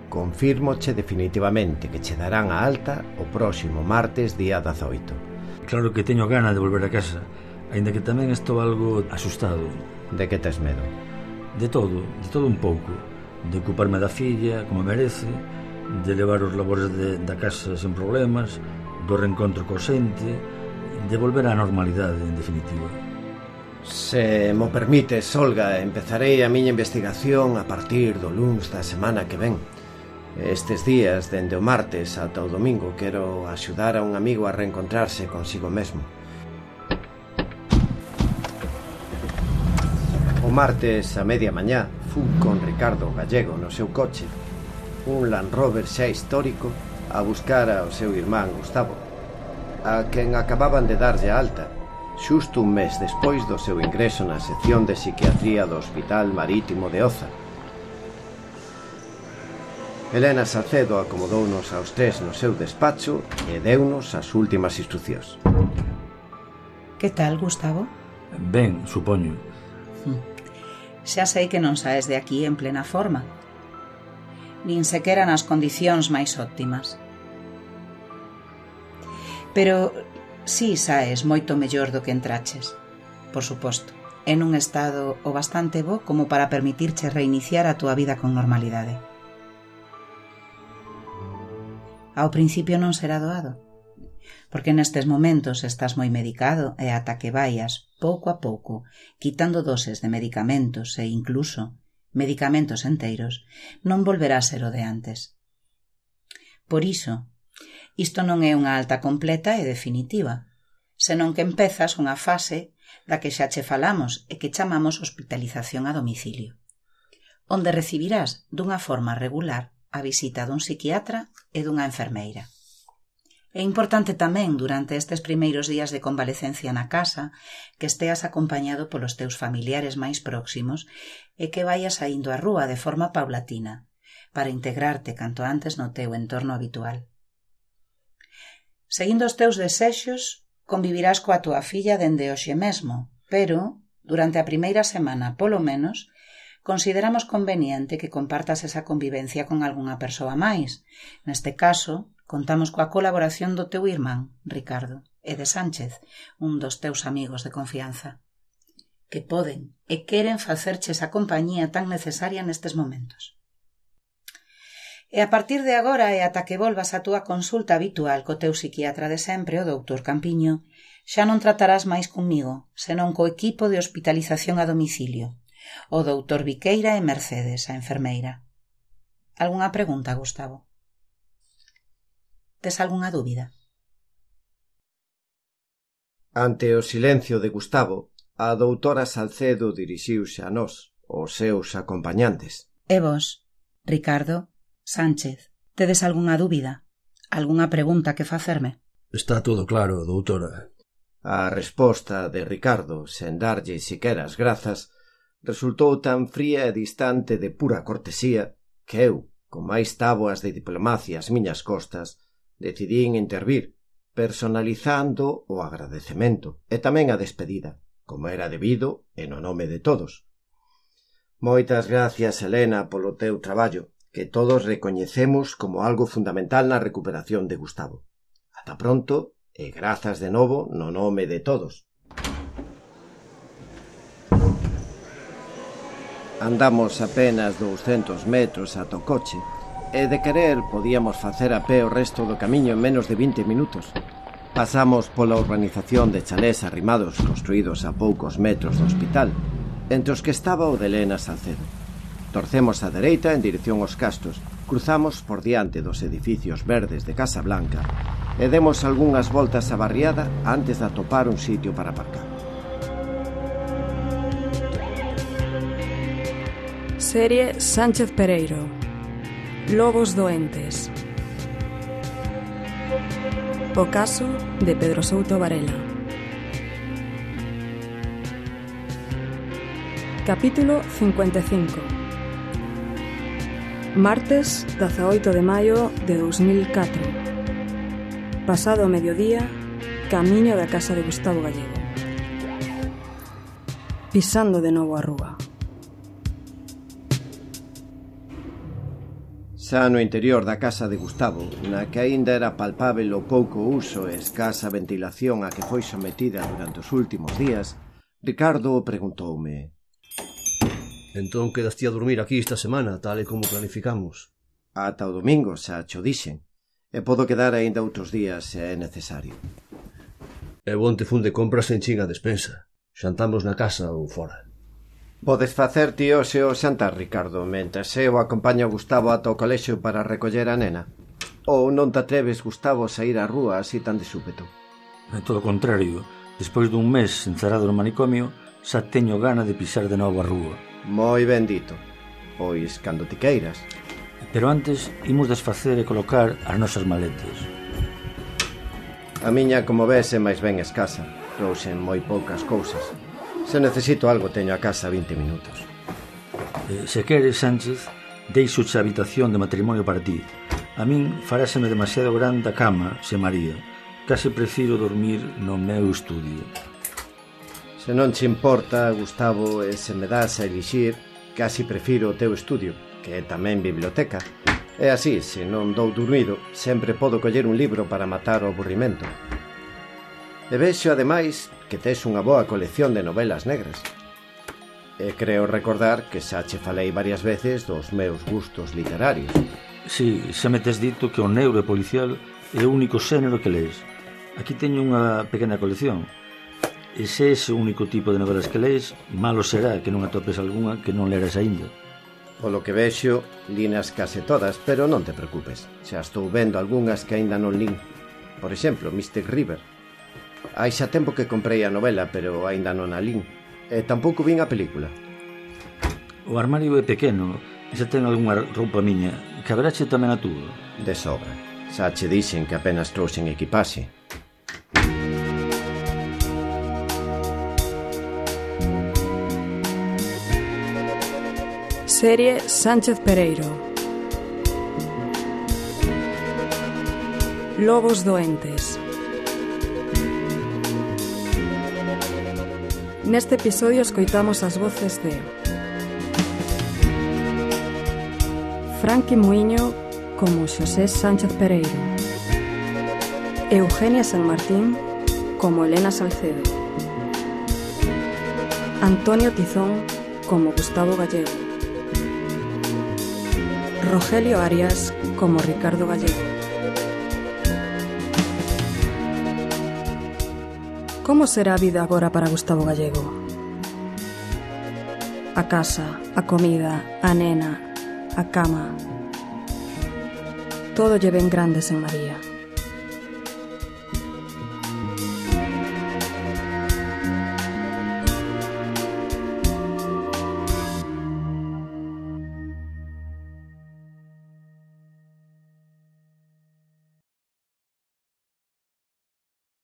Confírmoche definitivamente que che darán a alta o próximo martes día 18. Claro que teño gana de volver a casa, aínda que tamén estou algo asustado. De que tes medo? De todo un pouco. De ocuparme da filla, como merece, de levar os labores da casa sen problemas, do reencontro co xente, de volver á normalidade, en definitiva. Se mo permites, Olga, empezarei a miña investigación a partir do luns da semana que ven. Estes días, dende o martes ata o domingo, quero axudar a un amigo a reencontrarse consigo mesmo. O martes a media mañá fun con Ricardo Gallego no seu coche, un Land Rover xa histórico, a buscar ao seu irmán Gustavo, a quen acababan de darlle alta, xusto un mes despois do seu ingreso na sección de psiquiatría do Hospital Marítimo de Oza. Elena Salcedo acomodounos aos tres no seu despacho e deunos as últimas instruccións. Que tal, Gustavo? Ben, supoño. Xa sei que non saes de aquí en plena forma, nin sequera nas condicións máis óptimas. Pero si saes moito mellor do que entraches, por suposto, en un estado o bastante bo como para permitirche reiniciar a túa vida con normalidade. Ao principio non será doado, porque nestes momentos estás moi medicado e ata que vaias, pouco a pouco, quitando doses de medicamentos e incluso medicamentos enteiros, non volverá a ser o de antes. Por iso, isto non é unha alta completa e definitiva, senón que empezas unha fase da que xa che falamos e que chamamos hospitalización a domicilio, onde recibirás dunha forma regular a visita dun psiquiatra e dunha enfermeira. É importante tamén, durante estes primeiros días de convalecencia na casa, que esteas acompañado polos teus familiares máis próximos e que vayas saindo á rúa de forma paulatina, para integrarte canto antes no teu entorno habitual. Seguindo os teus desexos, convivirás coa túa filla dende hoxe mesmo, pero, durante a primeira semana, polo menos, consideramos conveniente que compartas esa convivencia con algunha persoa máis. Neste caso, contamos coa colaboración do teu irmán, Ricardo, e de Sánchez, un dos teus amigos de confianza, que poden e queren facerche esa compañía tan necesaria nestes momentos. E a partir de agora e ata que volvas a túa consulta habitual co teu psiquiatra de sempre, o doutor Campiño, xa non tratarás máis comigo, senón co equipo de hospitalización a domicilio, o doutor Viqueira e Mercedes, a enfermeira. Algunha pregunta, Gustavo? Tes algunha dúbida? Ante o silencio de Gustavo, a doutora Salcedo dirixiuse a nós, os seus acompañantes. E vos, Ricardo, Sánchez, tedes algunha dúbida? Algunha pregunta que facerme? Está todo claro, doutora. A resposta de Ricardo, sen darlle siquera as grazas, resultou tan fría e distante de pura cortesía que eu, con máis táboas de diplomacia ás miñas costas, decidín intervir, personalizando o agradecemento e tamén a despedida, como era debido e no nome de todos. Moitas gracias, Elena, polo teu traballo, que todos recoñecemos como algo fundamental na recuperación de Gustavo. Ata pronto e grazas de novo no nome de todos. Andamos apenas 200 metros ata o coche e de querer podíamos facer a pé o resto do camiño en menos de 20 minutos. Pasamos pola urbanización de chalés arrimados construídos a poucos metros do hospital, entre os que estaba o de Elena Salcedo. Torcemos á dereita en dirección aos Castros, cruzamos por diante dos edificios verdes de Casa Blanca e demos algunhas voltas á barriada antes de atopar un sitio para aparcar. Serie Sánchez Pereiro. Lobos doentes. O caso de Pedro Souto Varela. Capítulo 55. Martes 18 de maio de 2004. Pasado o mediodía, camiño da casa de Gustavo Gallego. Pisando de novo a rúa. Xa no interior da casa de Gustavo, na que aínda era palpável o pouco uso e escasa ventilación a que foi sometida durante os últimos días, Ricardo preguntoume: Entón quedaste a dormir aquí esta semana, tal e como planificamos? Ata o domingo, xa cho dixen, e podo quedar aínda outros días se é necesario. E bon te fun de compras en chinga despensa. Xantamos na casa ou fora. Podes facer ti hoxe o xantar, Ricardo, mentres eu acompaño a Gustavo ata o colexio para recoller a nena? Ou non te atreves, Gustavo, a sair á rúa así tan de súpeto? É todo o contrario. Despois dun mes encerrado no manicomio, xa teño gana de pisar de novo a rúa. Moi ben dito. Pois, cando ti queiras. Pero antes, imos desfacer e colocar as nosas maletas. A miña, como ves, é máis ben escasa. Trouxen moi poucas cousas. Se necesito algo, teño a casa 20 minutos. Se queres, Sánchez, deixo a habitación de matrimonio para ti. A min faráseme demasiado grande a cama, se María. Case prefiro dormir no meu estudio. Se non che importa, Gustavo, e se me das a elixir, casi prefiro o teu estudio, que é tamén biblioteca. É así, se non dou dormido, sempre podo coller un libro para matar o aburrimento. E vexo, ademais, que tes unha boa colección de novelas negras. E creo recordar que xa che falei varias veces dos meus gustos literarios. Si, xa me tes dito que o negro e policial é o único xénero que lees. Aquí teño unha pequena colección. E se ese único tipo de novelas que lees, malo será que non atopes algunha que non leras aínda. Polo que vexo, linas case todas, pero non te preocupes. Xa estou vendo algunhas que aínda non lín. Por exemplo, Mystic River. Hai xa tempo que comprei a novela, pero aínda non a lín. E tampouco vin a película. O armario é pequeno e xa ten algunha roupa miña. Caberache tamén a túa? De sobra. Xa che dixen que apenas trouxen equipaxe. Serie Sánchez Pereiro. Lobos doentes. Neste episodio escoitamos as voces de Franqui Muiño como Xosé Sánchez Pereiro, Eugenia San Martín como Elena Salcedo, Antonio Tizón como Gustavo Gallego, Rogelio Arias como Ricardo Gallego. Como será a vida agora para Gustavo Gallego? A casa, a comida, a nena, a cama. Todo lle ven grandes en María.